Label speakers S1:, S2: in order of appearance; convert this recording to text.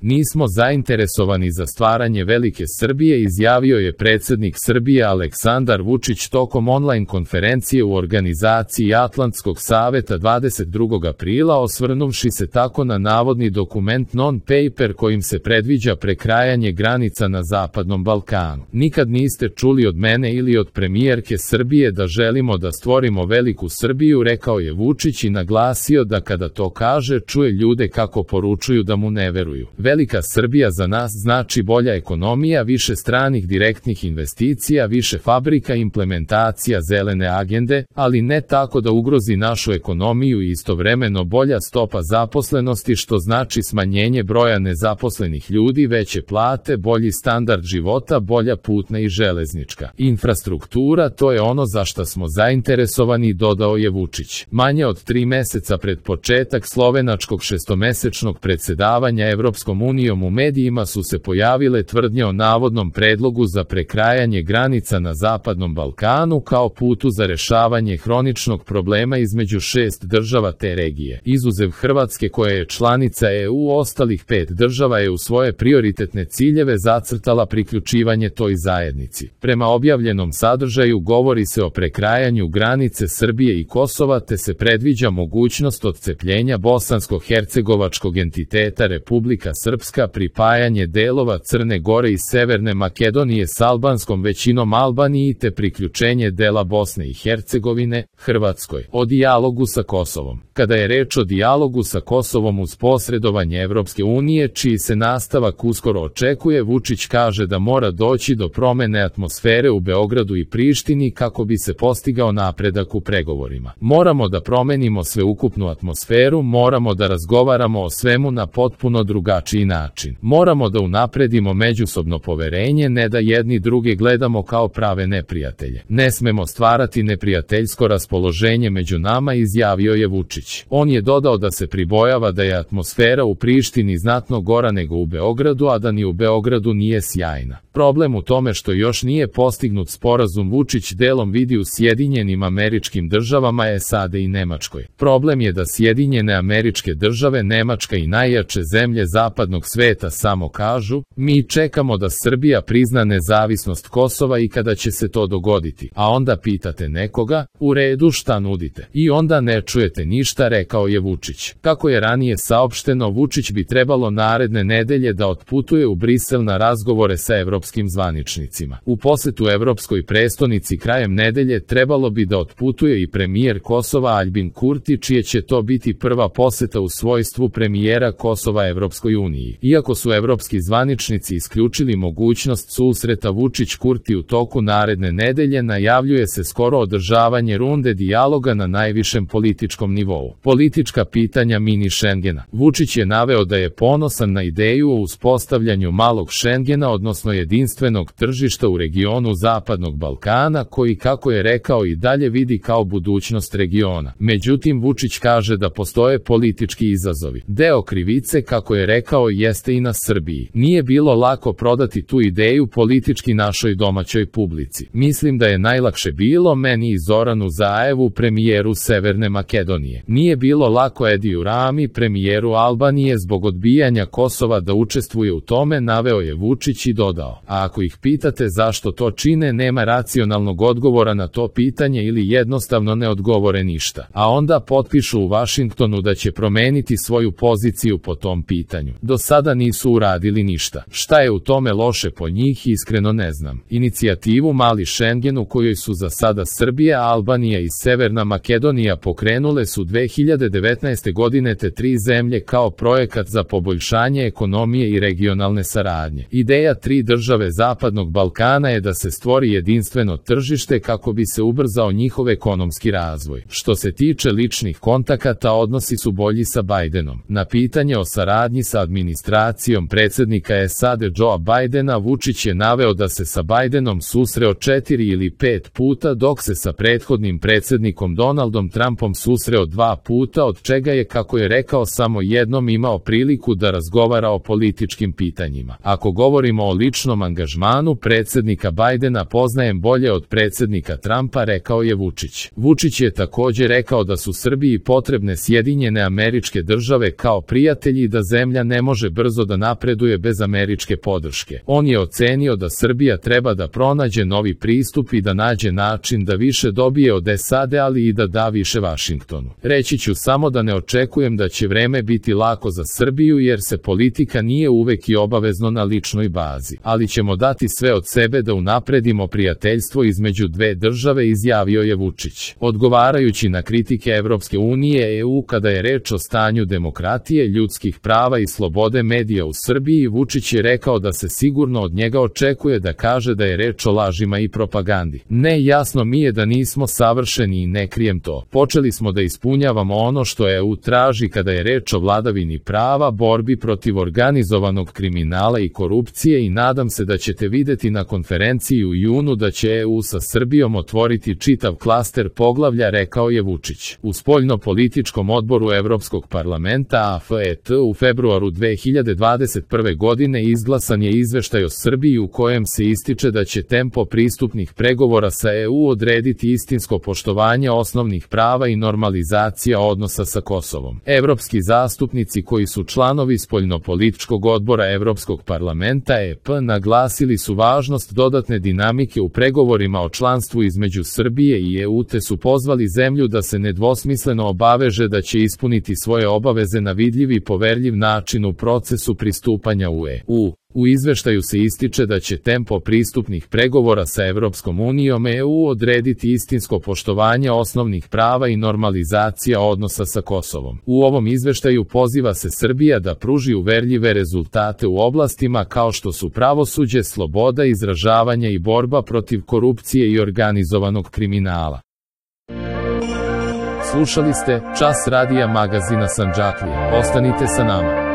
S1: Nismo zainteresovani za stvaranje velike Srbije, izjavio je predsjednik Srbije Aleksandar Vučić tokom online konferencije u organizaciji Atlantskog saveta 22. aprila, osvrnuvši se tako na navodni dokument non-paper kojim se predviđa prekrajanje granica na Zapadnom Balkanu. Nikad niste čuli od mene ili od premijerke Srbije da želimo da stvorimo veliku Srbiju, rekao je Vučić i naglasio da kada to kaže čuje ljude kako poručuju da mu ne veruju. Velika Srbija za nas znači bolja ekonomija, više stranih direktnih investicija, više fabrika, implementacija zelene agende, ali ne tako da ugrozi našu ekonomiju i istovremeno bolja stopa zaposlenosti, što znači smanjenje broja nezaposlenih ljudi, veće plate, bolji standard života, bolja putna i železnička infrastruktura, to je ono za što smo zainteresovani, dodao je Vučić. Manje od 3 meseca pred početak slovenačkog šestomesečnog predsjedavanja Evropskom unijom u medijima su se pojavile tvrdnje o navodnom predlogu za prekrajanje granica na Zapadnom Balkanu kao putu za rešavanje hroničnog problema između 6 država te regije. Izuzev Hrvatske koja je članica EU, ostalih 5 država je u svoje prioritetne ciljeve zacrtala priključivanje toj zajednici. Prema objavljenom sadržaju govori se o prekrajanju granice Srbije i Kosova, te se predviđa mogućnost odcepljenja bosansko-hercegovačkog entiteta Republika Srpska, pripajanje delova Crne Gore i Severne Makedonije s albanskom većinom Albaniji te priključenje dela Bosne i Hercegovine Hrvatskoj. O dijalogu sa Kosovom. Kada je reč o dijalogu sa Kosovom uz posredovanje Evropske unije, čiji se nastavak uskoro očekuje, Vučić kaže da mora doći do promene atmosfere u Beogradu i Prištini kako bi se postigao napredak u pregovorima. Moramo da promenimo sveukupnu atmosferu, moramo da razgovaramo o svemu na potpuno drugačiji način. Moramo da unapredimo međusobno poverenje, ne da jedni druge gledamo kao prave neprijatelje. Ne smemo stvarati neprijateljsko raspoloženje među nama, izjavio je Vučić. On je dodao da se pribojava da je atmosfera u Prištini znatno gora nego u Beogradu, a da ni u Beogradu nije sjajna. Problem u tome što još nije postignut sporazum Vučić delom vidi u Sjedinjenim Američkim Državama, SAD i Nemačkoj. Problem je da Sjedinjene Američke Države, Nemačka i najjače zemlje zapadnog sveta samo kažu: mi čekamo da Srbija prizna nezavisnost Kosova i kada će se to dogoditi. A onda pitate nekoga: u redu, šta nudite? I onda ne čujete ništa, rekao je Vučić. Kako je ranije saopšteno, Vučić bi trebalo naredne nedelje da otputuje u Brisel na razgovore sa evropskim zvaničnicima. U posetu evropskoj prestonici krajem nedelje trebalo bi da otputuje i premijer Kosova Aljbin Kurti, čije će to biti prva poseta u svojstvu premijera Kosova Evropskoj uniji. Iako su evropski zvaničnici isključili mogućnost susreta Vučić-Kurti u toku naredne nedelje, najavljuje se skoro održavanje runde dijaloga na najvišem političkom nivou. Politička pitanja mini Šengena. Vučić je naveo da je ponosan na ideju o uspostavljanju malog Šengena, odnosno jedinstvenog tržišta u regionu Zapadnog Balkana, koji, kako je rekao, i dalje vidi kao budućnost regiona. Međutim, Vučić kaže da postoje politički izazovi. Deo krivice, kako je rekao, jeste i na Srbiji. Nije bilo lako prodati tu ideju politički našoj domaćoj publici. Mislim da je najlakše bilo meni i Zoranu Zaevu, premijeru Severne Makedonije. Nije bilo lako Ediju Rami, premijeru Albanije, zbog odbijanja Kosova da učestvuje u tome, naveo je Vučić i dodao: a ako ih pitate zašto to čine, nema racionalnog odgovora na to pitanje ili jednostavno ne odgovore ništa. A onda potpišu u Vašingtonu da će promeniti svoju poziciju po tom pitanju. Do sada nisu uradili ništa. Šta je u tome loše po njih, iskreno ne znam. Inicijativu Mali Šengen, u kojoj su za sada Srbija, Albanija i Severna Makedonija, pokrenule su 2019. godine te 3 zemlje kao projekat za poboljšanje ekonomije i regionalne saradnje. Ideja 3 države Zapadnog Balkana je da se stvori jedinstveno tržište kako bi se ubrzao njihov ekonomski razvoj. Što se tiče ličnih kontakata, odnosi su bolji sa Bajdenom. Na pitanje o saradnji sa administracijom predsjednika SAD Joea Bajdena, Vučić je naveo da se sa Bajdenom susreo 4 ili 5 puta, dok se sa prethodnim predsjednikom Donaldom Trumpom susreo 2 puta, od čega je, kako je rekao, samo jednom imao priliku da razgovara o političkim pitanjima. Ako govorimo o ličnom angažmanu predsjednika Bajdena poznajem bolje od predsjednika Trumpa, rekao je Vučić. Vučić je također rekao da su Srbiji potrebne Sjedinjene Američke Države kao prijatelji i da zemlja ne može brzo da napreduje bez američke podrške. On je ocenio da Srbija treba da pronađe novi pristup i da nađe način da više dobije od SAD, ali i da da više Vašingtonu. Reći ću samo da ne očekujem da će vreme biti lako za Srbiju jer se politika nije uvek i obavezno na ličnoj bazi, ali ćemo dati sve od sebe da unapredimo prijateljstvo između dve države, izjavio je Vučić. Odgovarajući na kritike Evropske unije EU kada je reč o stanju demokratije, ljudskih prava i slobode medija u Srbiji, Vučić je rekao da se sigurno od njega očekuje da kaže da je reč o lažima i propagandi. Ne, jasno mi je da nismo savršeni i ne krijem to. Počeli smo da ispunjavamo ono što EU traži kada je reč o vladavini prava, borbi protiv organizovanog kriminala i korupcije i nadam se da ćete videti na konferenciji u junu da će EU sa Srbijom otvoriti čitav klaster poglavlja, rekao je Vučić. U spoljno-političkom odboru Evropskog parlamenta AFET u februaru 2021. godine izglasan je izveštaj o Srbiji u kojem se ističe da će tempo pristupnih pregovora sa EU odrediti istinsko poštovanje osnovnih prava i normalizacija odnosa sa Kosovom. Evropski zastupnici koji su članovi spoljnopolitičkog odbora Evropskog parlamenta EP naglasili su važnost dodatne dinamike u pregovorima o članstvu između Srbije i EU te su pozvali zemlju da se nedvosmisleno obaveže da će ispuniti svoje obaveze na vidljiv i poverljiv način u procesu pristupanja u EU. U izveštaju se ističe da će tempo pristupnih pregovora sa Evropskom unijom EU odrediti istinsko poštovanje osnovnih prava i normalizacija odnosa sa Kosovom. U ovom izveštaju poziva se Srbija da pruži uverljive rezultate u oblastima kao što su pravosuđe, sloboda izražavanja i borba protiv korupcije i organizovanog kriminala. Slušali ste Čas radija magazina Sandžaklija. Ostanite sa nama.